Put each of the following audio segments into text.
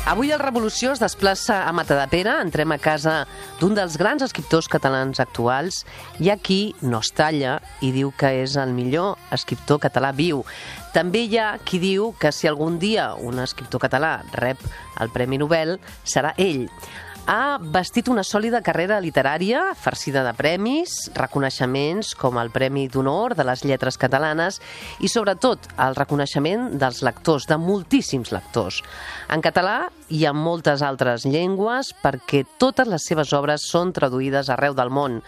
Avui el Revolució es desplaça a Matadepera. Entrem a casa d'un dels grans escriptors catalans actuals. Hi ha qui no es talla i diu que és el millor escriptor català viu. També hi ha qui diu que si algun dia un escriptor català rep el Premi Nobel, serà ell. Ha vestit una sòlida carrera literària, farcida de premis, reconeixements com el Premi d'Honor de les Lletres Catalanes i, sobretot, el reconeixement dels lectors, de moltíssims lectors. En català i en moltes altres llengües, perquè totes les seves obres són traduïdes arreu del món.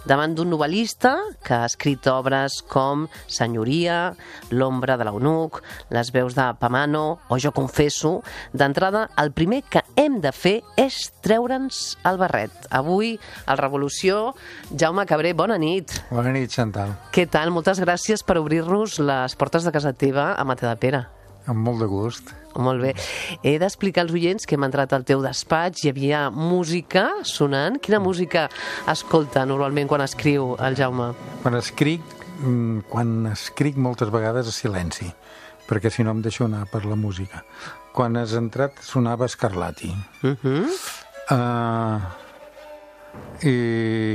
Davant d'un novel·lista que ha escrit obres com Senyoria, L'ombra de l'eunuc, Les veus de Pamano o Jo confesso, d'entrada el primer que hem de fer és treure'ns el barret. Avui, al Revolució, Jaume Cabré, bona nit. Bona nit, Chantal. Què tal? Moltes gràcies per obrir-nos les portes de casa teva a Matadepera. Amb molt de gust. Molt bé. He d'explicar als oients que hem entrat al teu despatx, hi havia música sonant. Quina música escolta normalment quan escriu el Jaume? Quan escric moltes vegades a silenci, perquè si no em deixo anar per la música. Quan has entrat sonava Scarlatti. I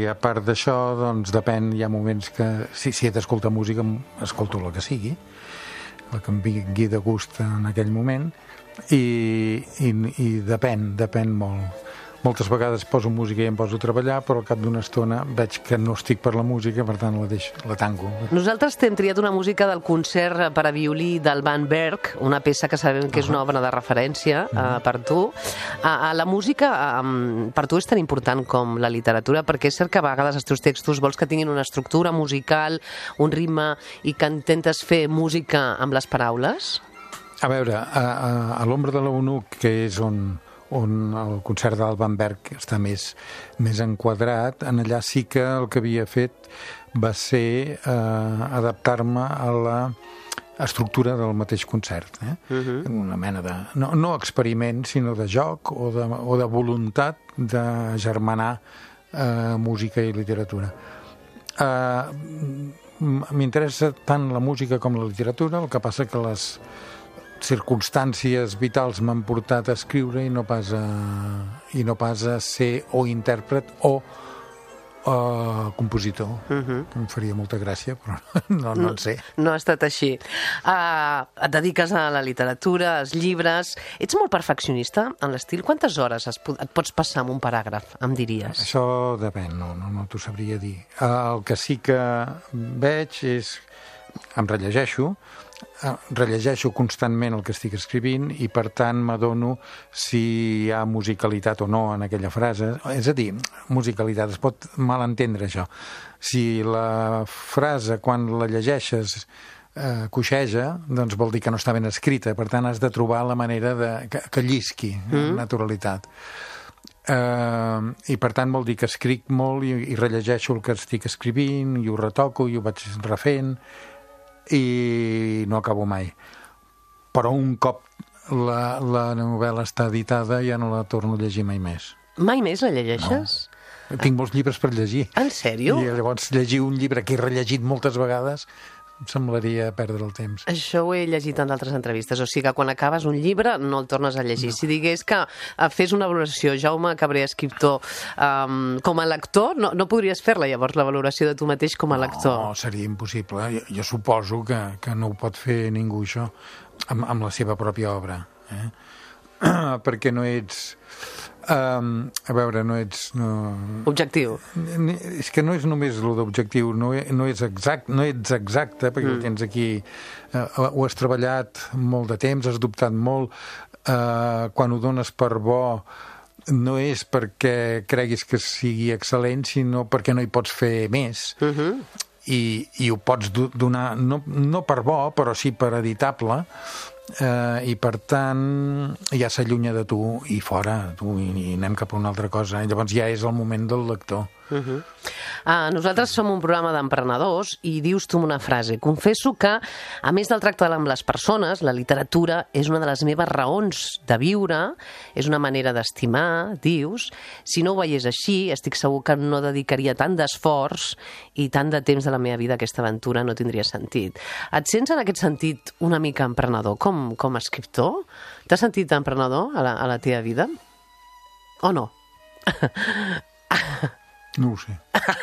a part d'això, doncs depèn, hi ha moments que si he d'escoltar música escolto la que sigui, la que em vingui de gust en aquell moment, i depèn molt. Moltes vegades poso música i em poso a treballar, però al cap d'una estona veig que no estic per la música, per tant la tanco. Nosaltres t'hem triat una música del concert per a violí del Van Berg, una peça que sabem que és una obra de referència per tu. La música per tu és tan important com la literatura, perquè és cert que a vegades els teus textos vols que tinguin una estructura musical, un ritme, i que intentes fer música amb les paraules? A veure, a l'ombra de l'eunuc, que és on el concert del Van Berg està més enquadrat, en allà sí que el que havia fet va ser adaptar-me a l'estructura del mateix concert. Una mena de... no experiment, sinó de joc o de voluntat de germanar música i literatura. M'interessa tant la música com la literatura, el que passa que les circumstàncies vitals m'han portat a escriure i no pas a ser o intèrpret o compositor. Em faria molta gràcia, però no en sé. No ha estat així. Et dediques a la literatura, als llibres. Ets molt perfeccionista en l'estil? Quantes hores et pots passar amb un paràgraf, em diries? Això depèn, no t'ho sabria dir. El que sí que veig és... Em rellegeixo constantment el que estic escrivint i, per tant, m'adono si hi ha musicalitat o no en aquella frase. És a dir, musicalitat, es pot malentendre això. Si la frase, quan la llegeixes, coixeja, doncs vol dir que no està ben escrita. Per tant, has de trobar la manera que llisqui amb naturalitat. I per tant vol dir que escric molt i rellegeixo el que estic escrivint i ho retoco i ho vaig refent i no acabo mai. Però un cop la novel·la està editada ja no la torno a llegir mai més. Mai més la llegeixes? No. Tinc molts llibres per llegir. En sèrio? I llavors llegir un llibre que he rellegit moltes vegades em semblaria perdre el temps. Això ho he llegit en d'altres entrevistes, o sigui que quan acabes un llibre no el tornes a llegir. No. Si digués que fes una valoració, Jaume Cabré, escriptor, com a lector, no podries fer-la llavors, la valoració de tu mateix com a lector? No, seria impossible. Jo suposo que no ho pot fer ningú, això, amb la seva pròpia obra. Perquè no ets... a veure, no ets... Objectiu. És que no és només el d'objectiu, no ets exacte, perquè ho tens aquí, ho has treballat molt de temps, has dubtat molt, quan ho dones per bo no és perquè creguis que sigui excel·lent, sinó perquè no hi pots fer més. I ho pots donar, no per bo, però sí per editable, i per tant ja s'allunya de tu i fora i anem cap a una altra cosa, llavors ja és el moment del lector. Nosaltres som un programa d'emprenedors i dius tu una frase. Confesso que, a més del tracte amb les persones, la literatura és una de les meves raons de viure, és una manera d'estimar, dius. Si no ho veiés així, estic segur que no dedicaria tant d'esforç i tant de temps de la meva vida a aquesta aventura, no tindria sentit. Et sents en aquest sentit una mica emprenedor com a escriptor? T'has sentit emprenedor a la teva vida? O no? No ho sé.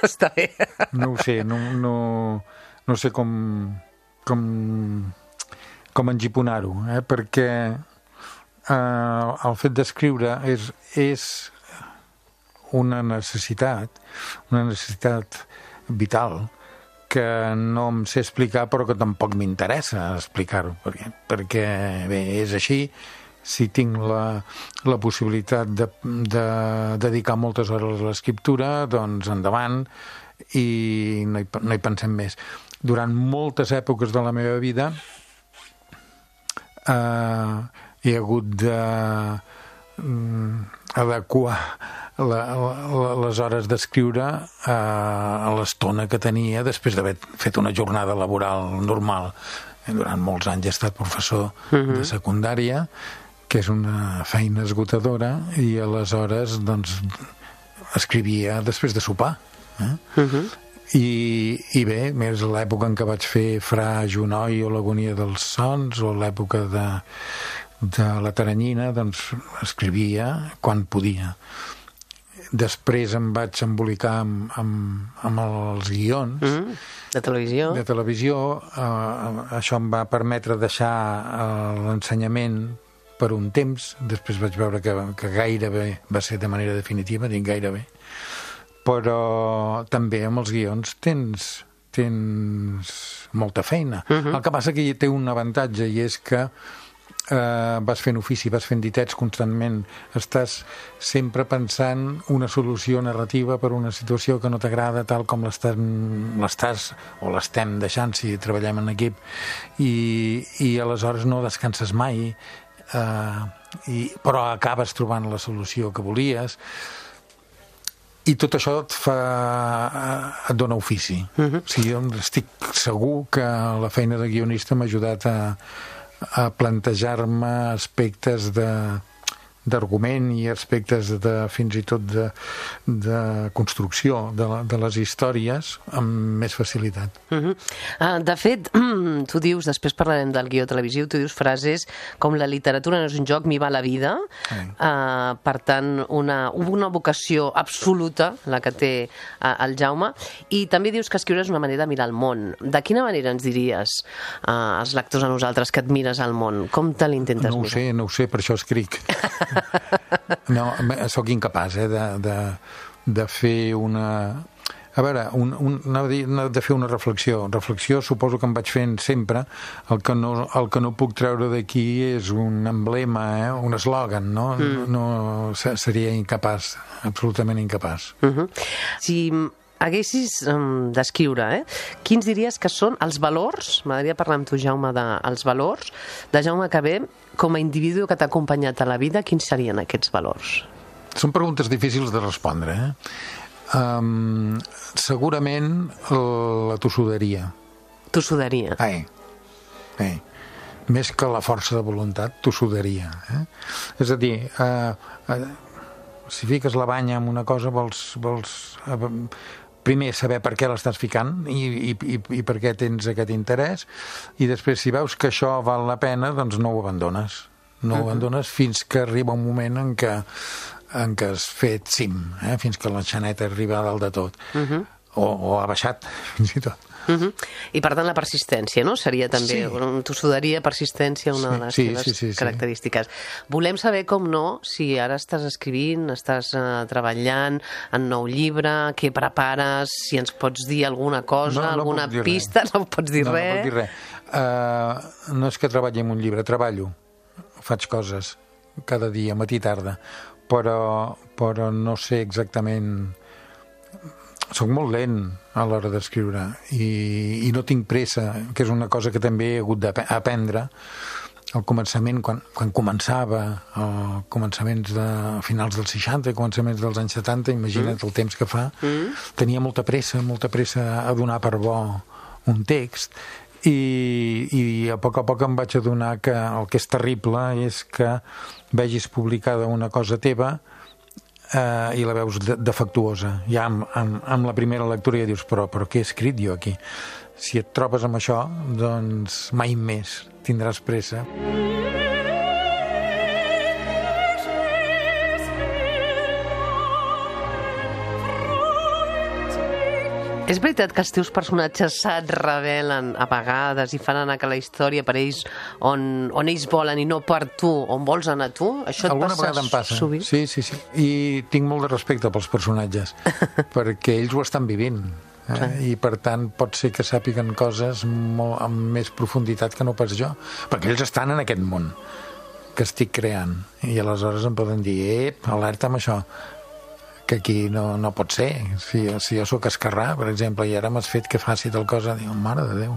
Està bé. No ho sé, no sé com engiponar-ho, perquè el fet d'escriure és una necessitat vital que no em sé explicar però que tampoc m'interessa explicar-ho, perquè bé, és així. Si tinc la possibilitat de dedicar moltes hores a l'escriptura, doncs endavant, i no hi pensem més. Durant moltes èpoques de la meva vida he hagut d'adequar les hores d'escriure a l'estona que tenia després d'haver fet una jornada laboral normal. Durant molts anys he estat professor de secundària, que és una feina esgotadora, i aleshores doncs escrivia després de sopar. I bé, més l'època en què vaig fer Fra Junoi o l'Agonia dels Sons, o l'època de la Teranyina, doncs escrivia quan podia. Després em vaig embolicar amb els guions de televisió. Això em va permetre deixar l'ensenyament per un temps. Després vaig veure que gairebé va ser de manera definitiva, dic gairebé. Però també amb els guions tens molta feina. El que passa que hi té un avantatge, i és que vas fent ofici, vas fent ditets constantment, estàs sempre pensant una solució narrativa per una situació que no t'agrada tal com l'estàs o l'estem deixant si treballem en equip, i aleshores no descanses mai, però acabes trobant la solució que volies, i tot això et dona ofici. O sigui, estic segur que la feina de guionista m'ha ajudat a plantejar-me aspectes d'argument i aspectes fins i tot de construcció de les històries amb més facilitat. De fet, tu dius, després parlarem del guió televisiu, tu dius frases com la literatura no és un joc, m'hi va la vida. Per tant, una vocació absoluta, la que té el Jaume, i també dius que escriure és una manera de mirar el món. De quina manera ens diries als lectors, a nosaltres, que et mires al món? Com te l'intentes mirar? No ho sé, per això escric. No, sóc incapaç de fer una... A veure, de fer una reflexió. Reflexió suposo que em vaig fent sempre. El que no puc treure d'aquí és un emblema, un eslògan, no? No seria incapaç, absolutament incapaç. Si haguessis d'escriure, quins diries que són els valors, m'agradaria parlar amb tu, Jaume, dels valors de Jaume Cabé com a individu que t'ha acompanyat a la vida, quins serien aquests valors? Són preguntes difícils de respondre, segurament la tossuderia. Tossuderia? Més que la força de voluntat, tossuderia. És a dir, si fiques la banya en una cosa vols primer saber per què l'estàs ficant i per què tens aquest interès, i després si veus que això val la pena, doncs no ho abandones. No ho abandones fins que arriba un moment en què has fet cim, fins que la xaneta arriba a dalt de tot, o ha baixat, fins i tot. I per tant la persistència, no? Seria també tossuderia, persistència, una de les teves característiques. Volem saber, com no, si ara estàs escrivint, estàs treballant en nou llibre, què prepares, si ens pots dir alguna cosa, alguna pista, no pots dir res. No puc dir res. No és que treballi en un llibre, treballo, faig coses cada dia, matí i tarda, però no sé exactament... Soc molt lent a l'hora d'escriure i no tinc pressa, que és una cosa que també he hagut d'aprendre, al començament, quan començava, començaments de finals dels 60 i començaments dels anys 70, imagina't el temps que fa, tenia molta pressa a donar per bo un text, i a poc em vaig adonar que el que és terrible és que vegis publicada una cosa teva i la veus defectuosa. Ja amb la primera lectura ja dius, però què he escrit jo aquí? Si et trobes amb això, doncs mai més tindràs pressa. És veritat que els teus personatges se't revelen a vegades i fan anar que la història per ells on ells volen i no per tu, on vols anar tu? Això alguna vegada em passa sovint? Sí. I tinc molt de respecte pels personatges perquè ells ho estan vivint. I per tant pot ser que sàpiguen coses amb més profunditat que no pas jo, perquè ells estan en aquest món que estic creant i aleshores em poden dir alerta amb això, que aquí no pot ser. Si jo sóc esquerrà, per exemple, i ara m'has fet que faci tal cosa, dic, mare de Déu.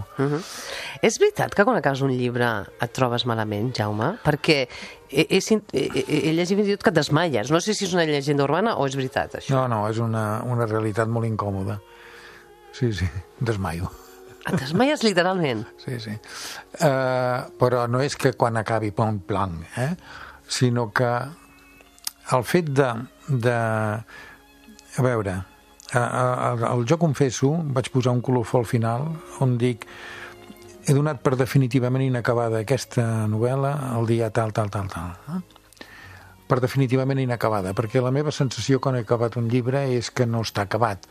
És veritat que quan acabes un llibre et trobes malament, Jaume? Perquè he llegit fins i tot que et desmaies. No sé si és una llegenda urbana o és veritat, això. No, és una realitat molt incòmoda. Sí, desmaio. Et desmaies literalment? Sí. Però no és que quan acabi pom blanc, sinó que el fet a veure, al Jo confesso vaig posar un colofó al final on dic he donat per definitivament inacabada aquesta novel·la el dia tal. Per definitivament inacabada, perquè la meva sensació quan he acabat un llibre és que no està acabat.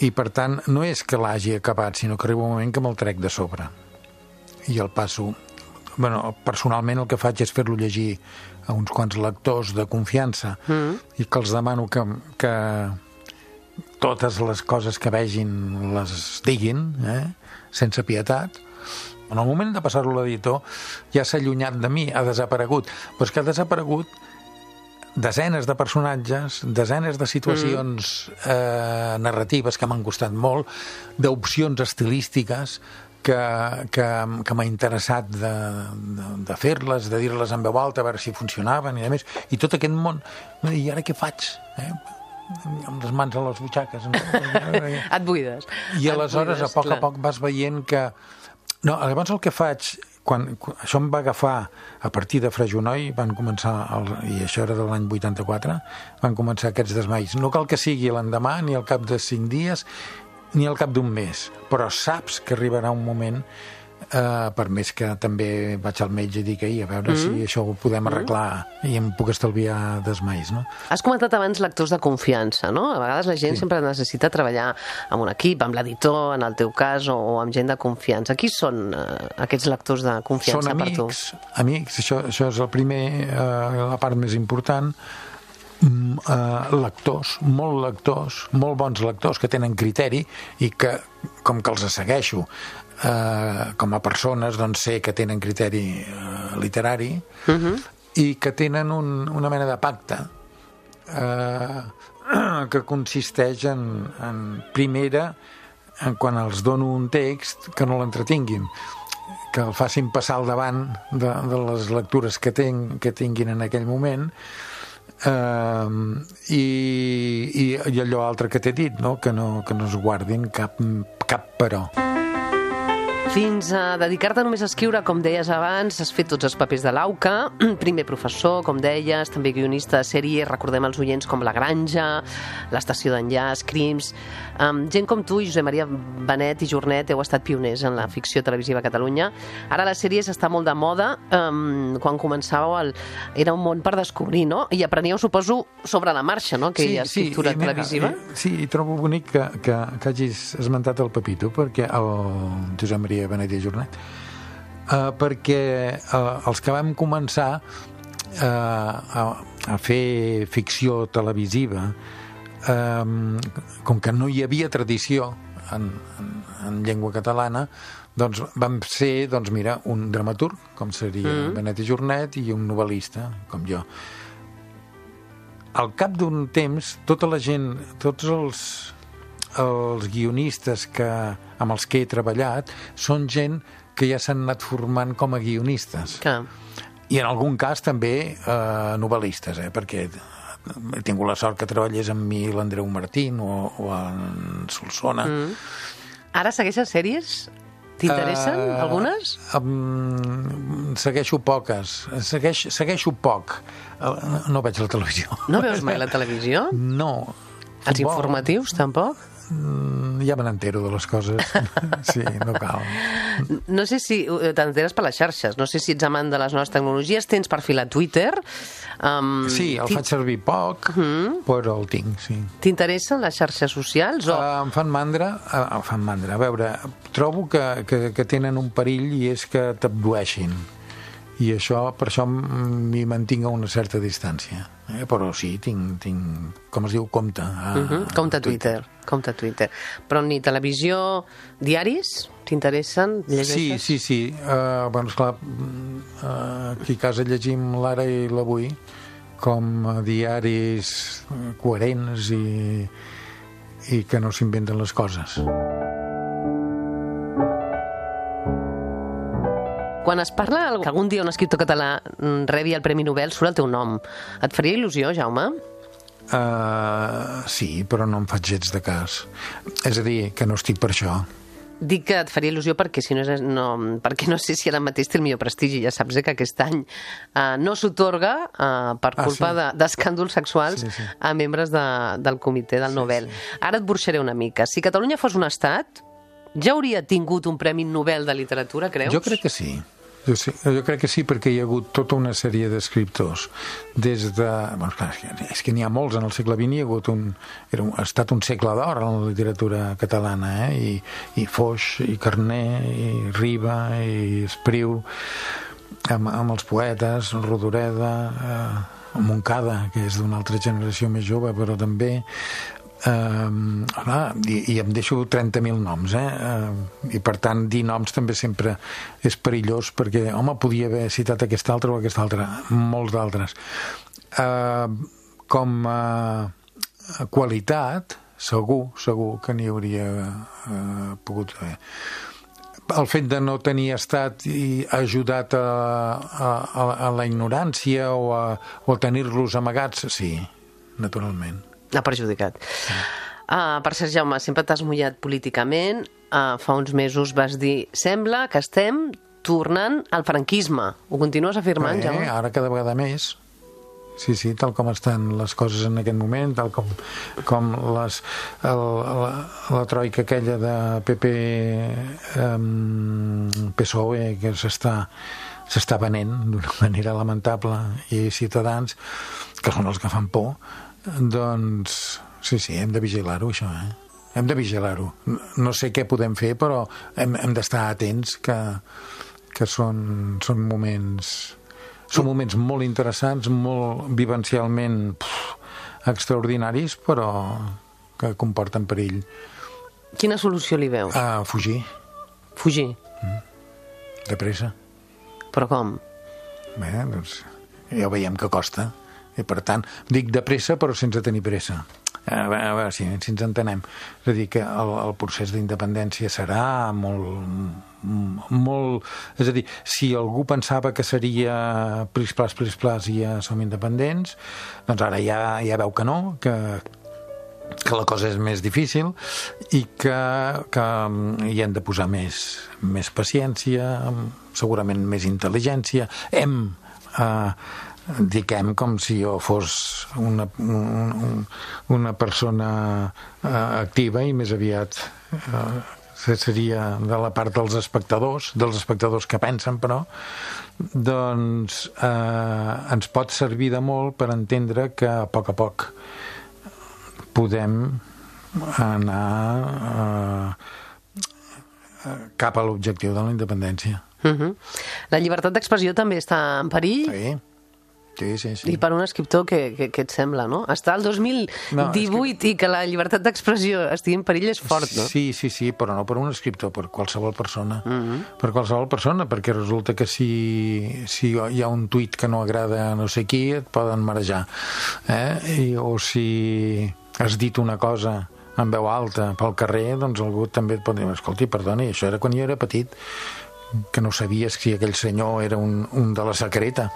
I per tant, no és que l'hagi acabat, sinó que arriba un moment que me'l trec de sobre. I el passo... personalment el que faig és fer-lo llegir a uns quants lectors de confiança i que els demano que totes les coses que vegin les diguin, sense pietat. En el moment de passar-lo a l'editor ja s'ha allunyat de mi, ha desaparegut. Però és que ha desaparegut desenes de personatges, desenes de situacions narratives que m'han costat molt, d'opcions estilístiques que m'ha interessat de fer-les, de dir-les en veu alta, a veure si funcionaven i a més. I tot aquest món, i ara què faig? Amb les mans a les butxaques. Et buides. I aleshores, a poc vas veient que... No, llavors el que faig, quan això em va agafar a partir de Frejonoi, van començar, i això era de l'any 84, van començar aquests desmais. No cal que sigui l'endemà, ni al cap de 5 dies, ni al cap d'un mes, però saps que arribarà un moment, per més que també vaig al metge i dic a veure si això ho podem arreglar i em puc estalviar desmais, no? Has comentat abans lectors de confiança, no? A vegades la gent sempre necessita treballar amb un equip, amb l'editor, en el teu cas, o amb gent de confiança. Qui són aquests lectors de confiança per tu? Són amics, això és el primer, la part més important. Lectors, molt bons lectors que tenen criteri i que, com que els segueixo com a persones, doncs sé que tenen criteri literari i que tenen una mena de pacte que consisteix en primera, quan els dono un text, que no l'entretinguin, que el facin passar al davant de les lectures que tinguin en aquell moment, i allò altre que t'he dit, no? Que no es guardin cap però. Fins a dedicar-te només a escriure, com deies abans, has fet tots els papers de l'AUCA, primer professor, com deies, també guionista de sèrie, recordem els oients com La Granja, L'Estació d'Enllaç, Crims... gent com tu i Josep Maria Benet i Jornet heu estat pioners en la ficció televisiva a Catalunya. Ara les sèries està molt de moda. Quan començàveu era un món per descobrir, no? I apreníeu, suposo, sobre la marxa, no? Aquella escriptura televisiva. Sí, i trobo bonic que hagis esmentat el Pepito, perquè el Josep Maria Benet i Jornet, perquè els que vam començar a fer ficció televisiva, com que no hi havia tradició en llengua catalana, doncs vam ser, un dramaturg, com seria Benet i Jornet, i un novel·lista, com jo. Al cap d'un temps, tota la gent, tots els guionistes amb els que he treballat són gent que ja s'han anat formant com a guionistes. Clar. I en algun cas també novel·listes, perquè he tingut la sort que treballés amb mi l'Andreu Martín o en Solsona. Ara segueixes sèries? T'interessen algunes? Segueixo poques. Segueixo poc. No veig la televisió. No veus mai la televisió? No. Els informatius, tampoc? Ja me n'entero de les coses. Sí, no cal. No sé si t'enteres per les xarxes, no sé si ets amant de les noves tecnologies, tens perfil a Twitter. Sí, el faig servir poc, però el tinc, sí. T'interessen les xarxes socials? Em fan mandra. A veure, trobo que tenen un perill i és que t'abdueixin. I per això m'hi mantinc a una certa distància. Però sí, tinc com es diu, compte. Compte a Twitter. Però ni televisió, diaris, t'interessen? Llegeixes? Sí. Bueno, esclar, aquí a casa llegim l'Ara i l'Avui com a diaris coherents i que no s'inventen les coses. Quan es parla que algun dia un escriptor català rebi el Premi Nobel, surt el teu nom. Et faria il·lusió, Jaume? Sí, però no em faig gens de cas. És a dir, que no estic per això. Dic que et faria il·lusió perquè perquè no sé si ara mateix té el millor prestigi. Ja saps que aquest any no s'atorga per culpa d'escàndols sexuals a membres del comitè del Nobel. Ara et burxaré una mica. Si Catalunya fos un estat, ja hauria tingut un Premi Nobel de Literatura, creus? Jo crec que sí. Jo crec que sí, perquè hi ha hagut tota una sèrie d'escriptors. Des de... Bueno, clar, és que n'hi ha molts en el segle XX, ha estat un segle d'or en la literatura catalana, i Foix, i Carner, i Riba, i Espriu, amb els poetes, Rodoreda, Montcada, que és d'una altra generació més jove, però també... i em deixo 30.000 noms, i per tant dir noms també sempre és perillós, perquè home, podia haver citat aquest altre o aquest altre, molts d'altres. Com a qualitat segur que n'hi hauria pogut haver. El fet de no tenir estat i ajudat a la ignorància o a tenir-los amagats, sí, naturalment. Ha perjudicat. Per cert, Jaume, sempre t'has mullat políticament. Fa uns mesos vas dir sembla que estem tornant al franquisme. Ho continues afirmant, Jaume? Ara cada vegada més. Sí, tal com estan les coses en aquest moment, tal com la troika aquella de PP PSOE que s'està venent d'una manera lamentable, i Ciutadans, que són els que fan por. Doncs sí, hem de vigilar-ho, això, Hem de vigilar-ho. No sé què podem fer, però hem d'estar atents, que són moments molt interessants, molt vivencialment extraordinaris, però que comporten perill. Quina solució li veus? Fugir. Fugir? De pressa. Però com? Bé, doncs ja ho veiem que costa. I per tant, dic de pressa però sense tenir pressa. A veure si ens entenem. És a dir, que el procés d'independència serà molt... És a dir, si algú pensava que seria plis-plas i ja som independents, doncs ara ja veu que no, que la cosa és més difícil i que hi hem de posar més paciència, segurament més intel·ligència. Dic com si jo fos una persona activa, i més aviat seria de la part dels espectadors que pensen, però doncs ens pot servir de molt per entendre que a poc podem anar cap a l'objectiu de la independència. La llibertat d'expressió també està en perill? Sí. I per un escriptor, què et sembla, no? Està al 2018 i que la llibertat d'expressió estigui en perill és fort, no? Sí, però no per un escriptor, per qualsevol persona. Per qualsevol persona, perquè resulta que si hi ha un tuit que no agrada a no sé qui, et poden marejar. O si has dit una cosa en veu alta pel carrer, doncs algú també et pot dir, escolti, perdoni, això era quan jo era petit. que no sabies si aquell senyor era un de la secreta.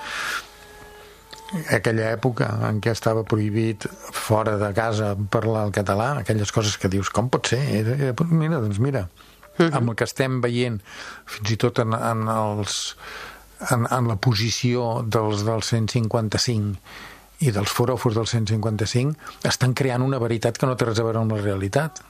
Aquella època en què estava prohibit fora de casa parlar el català, aquelles coses que dius, com pot ser? Mira, doncs mira, amb el que estem veient, fins i tot en la posició del 155 i dels foròfors del 155, estan creant una veritat que no té res a veure amb la realitat.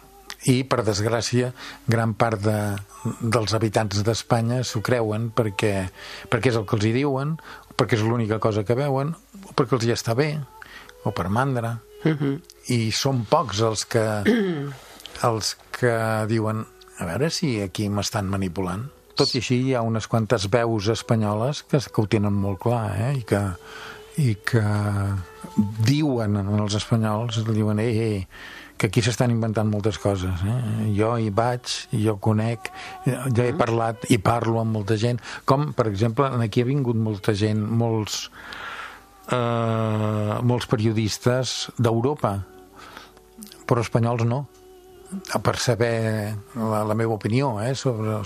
I, per desgràcia, gran part dels habitants d'Espanya s'ho creuen perquè és el que els hi diuen, perquè és l'única cosa que veuen, o perquè els hi està bé, o per mandra. I són pocs els que diuen, a veure si aquí m'estan manipulant. Tot i així hi ha unes quantes veus espanyoles que ho tenen molt clar, i que diuen als espanyols, diuen, que aquí s'estan inventant moltes coses. Jo hi vaig, jo conec, ja he parlat i parlo amb molta gent. Com, per exemple, aquí ha vingut molta gent, molts periodistes d'Europa, però espanyols no, per saber la meva opinió sobre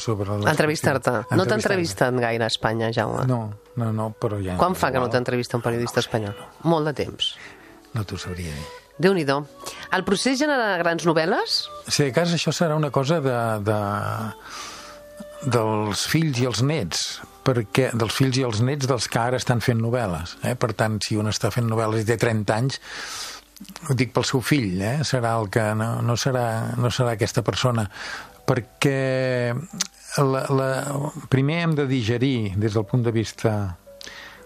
entrevistar-te. No t'ha entrevistat gaire a Espanya, Jaume? No, però ja... Quan fa que no t'entrevista un periodista espanyol? Molt de temps. No t'ho sabria dir. Déu-n'hi-do. El procés genera grans novel·les? Si de cas això serà una cosa dels fills i els nets, dels fills i els nets dels que ara estan fent novel·les. Per tant, si un està fent novel·les i té 30 anys, ho dic pel seu fill, serà el que no serà aquesta persona, perquè primer hem de digerir des del punt de vista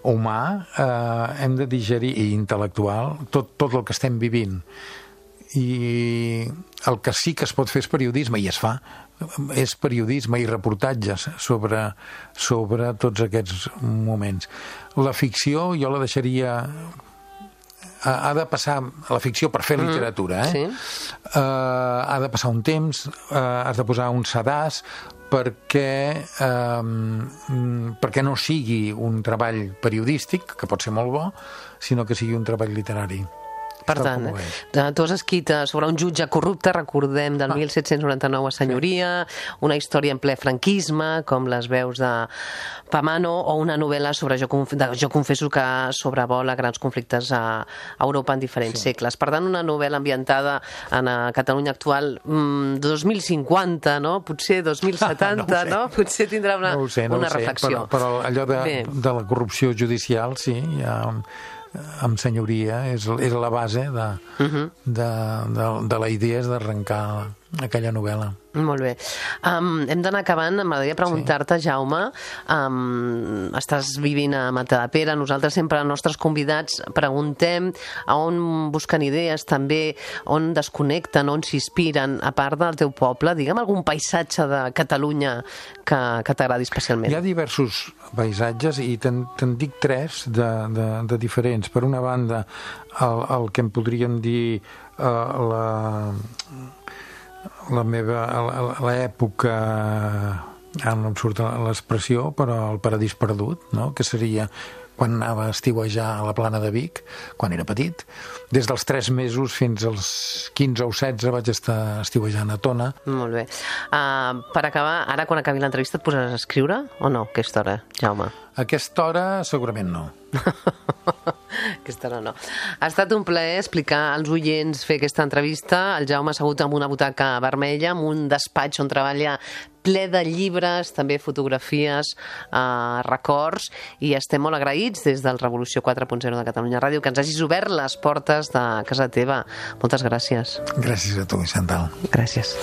humà, hem de digerir, i intel·lectual, tot el que estem vivint. I el que sí que es pot fer és periodisme, i es fa, és periodisme i reportatges sobre tots aquests moments. La ficció jo la deixaria... Ha de passar la ficció per fer literatura, sí. Ha de passar un temps, has de posar un sedàs perquè no sigui un treball periodístic, que pot ser molt bo, sinó que sigui un treball literari. Per tant, tu has escrit sobre un jutge corrupte, recordem, del 1799 a Senyoria, una història en ple franquisme, com les veus de Pamano, o una novel·la sobre Jo confesso que sobrevola grans conflictes a Europa en diferents segles. Per tant, una novel·la ambientada en Catalunya actual 2050, no? Potser 2070, no? Potser tindrà una reflexió. Però allò de la corrupció judicial, sí, ja... amb Senyoria és la base de la idea és d'arrencar aquella novel·la. Molt bé. Hem d'anar acabant. M'agradaria preguntar-te, Jaume, estàs vivint a Matadepera, nosaltres sempre als nostres convidats preguntem a on busquen idees, també on desconnecten, on s'inspiren, a part del teu poble. Digue'm algun paisatge de Catalunya que t'agradi especialment. Hi ha diversos paisatges i te'n dic tres de diferents. Per una banda, el que en podríem dir l'època, ara no em surt l'expressió, però el paradís perdut, no? Que seria quan anava a estiuejar a la Plana de Vic, quan era petit. Des dels 3 mesos fins als 15 o 16 vaig estar estiuejant a Tona. Molt bé. Per acabar, ara quan acabi l'entrevista et posaràs a escriure o no, a aquesta hora, Jaume? A aquesta hora segurament no. Aquesta hora no. Ha estat un plaer explicar als oients, fer aquesta entrevista. El Jaume ha assegut amb una butaca vermella, amb un despatx on treballa ple de llibres, també fotografies, records, i estem molt agraïts des del Revolució 4.0 de Catalunya Ràdio que ens hagis obert les portes de casa teva. Moltes gràcies. Gràcies a tu, Chantal. Gràcies.